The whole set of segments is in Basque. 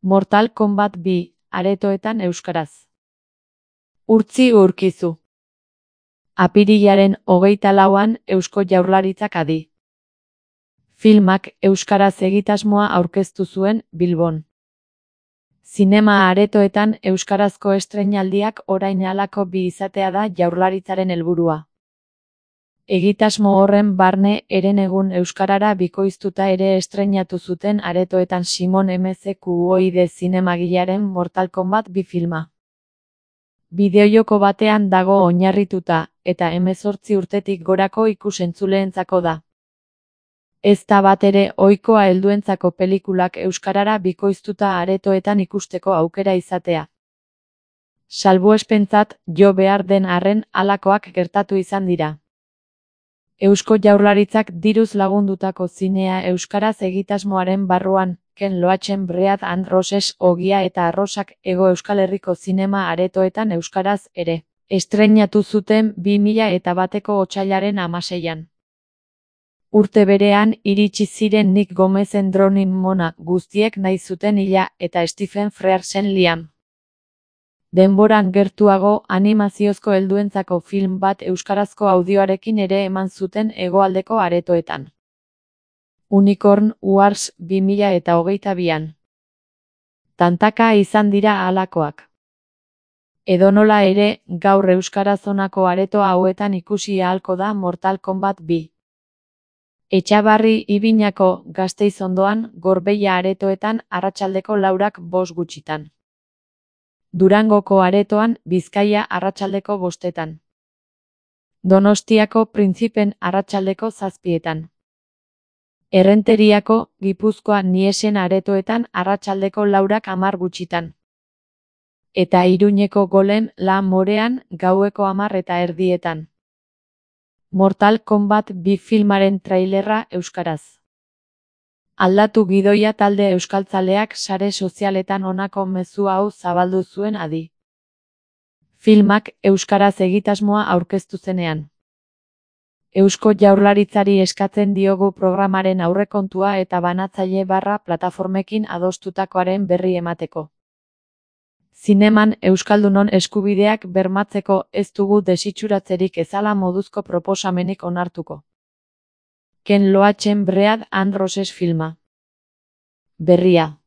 Mortal Kombat 2, aretoetan euskaraz. Urtzi Urkizu. Apirilaren 24an Eusko Jaurlaritzak adi. Filmak euskaraz egitasmoa aurkeztu zuen Bilbon. Zinema aretoetan euskarazko estreinaldiak orain halako bi izatea da Jaurlaritzaren helburua. Egitasmo horren barne herenegun euskarara bikoiztuta ere estreinatu zuten aretoetan Simon MZQoide zinemagilearen Mortal Kombat 2 filma. Bideojoko batean dago oinarrituta, eta 18 urtetik gorako ikus-entzuleentzako da. Ez da batere ohikoa helduentzako pelikulak euskarara bikoiztuta aretoetan ikusteko aukera izatea. Salbuespentzat jo behar den arren halakoak gertatu izan dira. Eusko Jaurlaritzak diruz lagundutako zinea euskaraz egitasmoaren barruan, Ken Loachen Bread and Roses Ogia eta Arrosak Hego Euskal Herriko zinema aretoetan euskaraz ere estreinatu zuten 2001ko otsailaren 16an. Urte berean iritsi ziren Nick Gomezen Drowning Mona guztiek nahi zuten hila eta Stephen Frearsen Liam. Denboran gertuago animaziozko helduentzako film bat euskarazko audioarekin ere eman zuten hegoaldeko aretoetan. Unicorn Wars 2022an. Tantaka izan dira halakoak. Edonola ere, gaur euskaraz honako areto hauetan ikusi ahalko da Mortal Kombat 2. Etxabarri Ibinako Gasteiz ondoan, Gorbeia aretoetan arratsaldeko 4:05 gutxitan. Durangoko aretoan, Bizkaia arratsaldeko 5:00. Donostiako Printzipen arratsaldeko 7:00. Errenteriako, Gipuzkoa Niesen aretoetan arratsaldeko 4:10 gutxitan. Eta Iruñeko Golem La Morean gaueko 10:30. Mortal Kombat 2 filmaren trailerra euskaraz. Aldatu gidoia talde euskaltzaleak sare sozialetan honako mezu hau zabaldu zuen adi. Filmak euskaraz egitasmoa aurkeztu zenean. Eusko Jaurlaritzari eskatzen diogu programaren aurrekontua eta banatzaile plataformekin adostutakoaren berri emateko. Zineman euskaldunon eskubideak bermatzeko ez dugu desitxuratzerik ezala moduzko proposamenik onartuko. Ken Loachen Bread and Roses filma. Berria.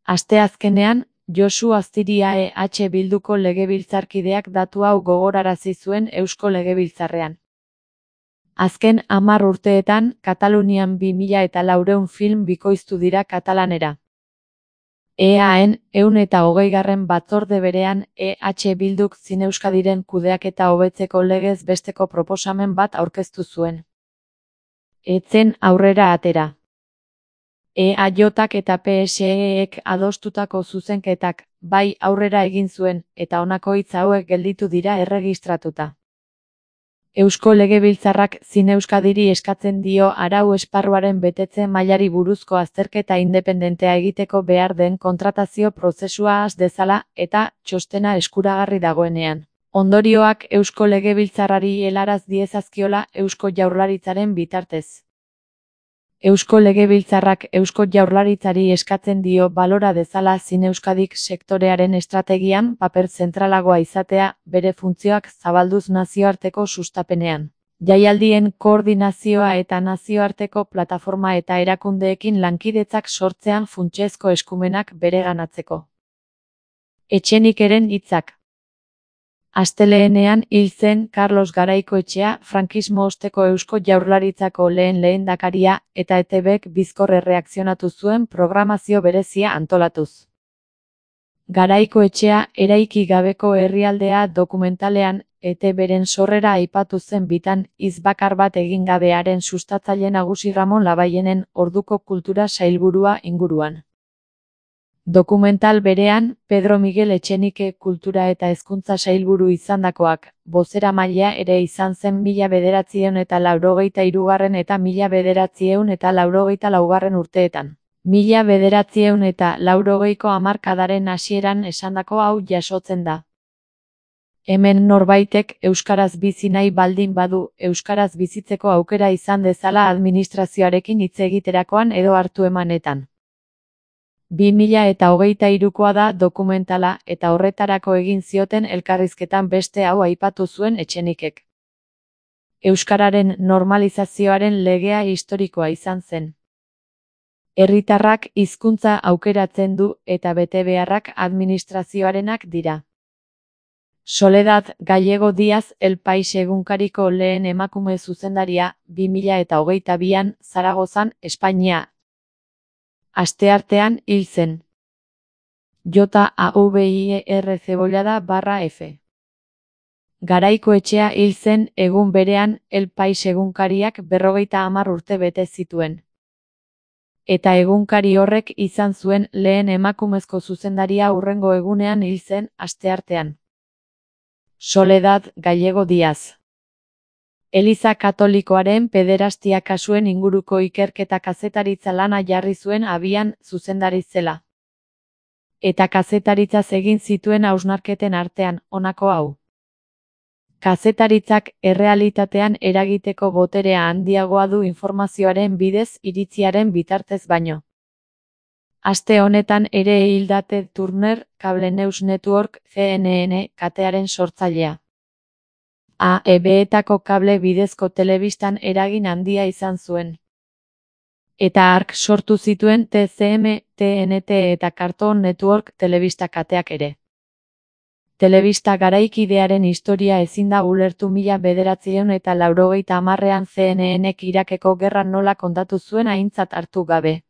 Asteazkenean, Josu Astiria Bilduko legebiltzarkideak datu hau gogorarazi zuen Eusko Legebiltzarrean. Azken 10 urteetan, Katalunian 2400 film bikoiztu dira katalanera. EAen 120. batzorde berean Bilduk Zineuskadiren kudeaketa hobetzeko legez besteko proposamen bat aurkeztu zuen. Etzen aurrera atera. EAJak eta PSEek adostutako zuzenketak, bai aurrera egin zuen, eta honako hitz hauek gelditu dira erregistratuta. Eusko Legebiltzarrak Zineuskadiri eskatzen dio arau esparruaren betetze mailari buruzko azterketa independentea egiteko behar den kontratazio prozesua has dezala eta txostena eskuragarri dagoenean. Ondorioak Eusko Legebiltzarrari helaraz diezazkiola Eusko Jaurlaritzaren bitartez. Eusko Legebiltzarrak Eusko Jaurlaritzari eskatzen dio balora dezala Zineuskadik sektorearen estrategian paper zentralagoa izatea, bere funtzioak zabalduz nazioarteko sustapenean. Jaialdien koordinazioa eta nazioarteko plataforma eta erakundeekin lankidetzak sortzean funtsezko eskumenak bereganatzeko. Etxenikeren hitzak. Astelehenean hil zen Carlos Garaikoetxea, frankismo osteko Eusko Jaurlaritzako lehen lehendakaria, eta ETBk bizkor erreakzionatu zuen programazio berezia antolatuz. Garaikoetxea eraiki gabeko herrialdea dokumentalean, ETBren sorrera aipatu zen bitan, hitz bakar bat egin gabearen sustatzaile nagusi Ramon Labaienen orduko kultura sailburua inguruan. Dokumental berean, Pedro Miguel Etxenike kultura eta hezkuntza sailburu izandakoak, bozeramailea ere izan zen 1983 eta 1984 urteetan. 1980ko hamarkadaren hasieran esandako hau jasotzen da. Hemen norbaitek euskaraz bizi nahi baldin badu, euskaraz bizitzeko aukera izan dezala administrazioarekin hitz egiterakoan edo hartu emanetan. 2023koa da dokumentala eta horretarako egin zioten elkarrizketan beste hau aipatu zuen Etxenikek. Euskararen normalizazioaren legea historikoa izan zen. Herritarrak hizkuntza aukeratzen du eta betebeharrak administrazioarenak dira. Soledad Gallego Díaz El País egunkariko lehen emakume zuzendaria 2022an Zaragozan, Espainia. Asteartean hil zen. JAVIER Cebollada/F. Garaikoetxea hil zen egun berean El País egunkariak 50 urte bete zituen. Eta egunkari horrek izan zuen lehen emakumezko zuzendaria hurrengo egunean hil zen asteartean. Soledad Gallego Díaz. Eliza Katolikoaren pederastia kasuen inguruko ikerketa kazetaritza lana jarri zuen abian zuzendari zela. Eta kazetaritzaz egin zituen hausnarketen artean, honako hau. Kazetaritzak errealitatean eragiteko boterea handiagoa du informazioaren bidez iritziaren bitartez baino. Aste honetan ere hil da Ted Turner, Cable News Network, CNN, katearen sortzailea. AEB-etako kable bidezko telebistan eragin handia izan zuen. Eta hark sortu zituen TCM, TNT eta Cartoon Network telebista kateak ere. Telebista garaikidearen historia ezin da ulertu 1980ean CNNek Irakeko gerra nola kontatu zuen aintzat hartu gabe.